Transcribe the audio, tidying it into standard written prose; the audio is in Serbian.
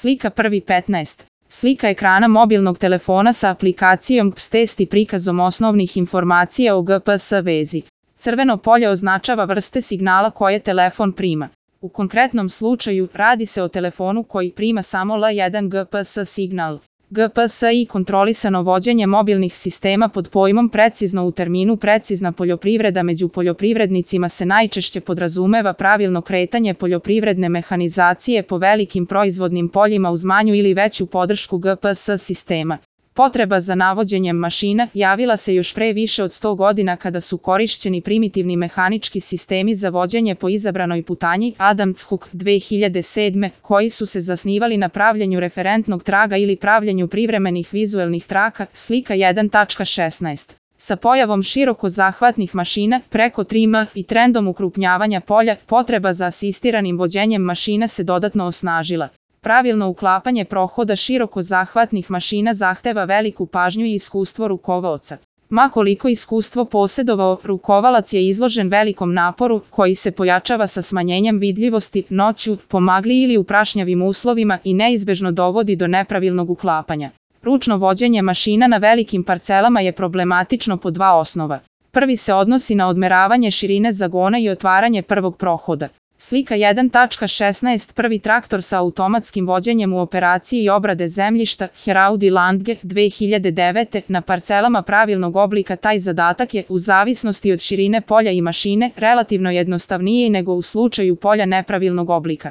Slika 1.15. Slika ekrana mobilnog telefona sa aplikacijom GPS test i prikazom osnovnih informacija o GPS vezi. Crveno polje označava vrste signala koje telefon prima. U konkretnom slučaju radi se o telefonu koji prima samo L1 GPS signal. GPS i kontrolisano vođenje mobilnih sistema pod pojmom precizno u terminu precizna poljoprivreda među poljoprivrednicima se najčešće podrazumeva pravilno kretanje poljoprivredne mehanizacije po velikim proizvodnim poljima uz manju ili veću podršku GPS sistema. Potreba za navođenjem mašina javila se još pre više od 100 godina kada su korišćeni primitivni mehanički sistemi za vođenje po izabranoj putanji Adams Hook 2007. koji su se zasnivali na pravljenju referentnog traga ili pravljenju privremenih vizuelnih traka. Slika 1.16. Sa pojavom široko zahvatnih mašina preko 3M i trendom ukrupnjavanja polja, potreba za asistiranim vođenjem mašina se dodatno osnažila. Pravilno uklapanje prohoda široko zahvatnih mašina zahteva veliku pažnju i iskustvo rukovaoca. Ma koliko iskustvo posjedovao, rukovalac je izložen velikom naporu koji se pojačava sa smanjenjem vidljivosti noću, po magli ili u prašnjavim uslovima i neizbežno dovodi do nepravilnog uklapanja. Ručno vođenje mašina na velikim parcelama je problematično po dva osnova. Prvi se odnosi na odmeravanje širine zagona i otvaranje prvog prohoda. Slika 1.16. Prvi traktor sa automatskim vođenjem u operaciji obrade zemljišta Heraudi Landge 2009. Na parcelama pravilnog oblika taj zadatak je, u zavisnosti od širine polja i mašine, relativno jednostavniji nego u slučaju polja nepravilnog oblika.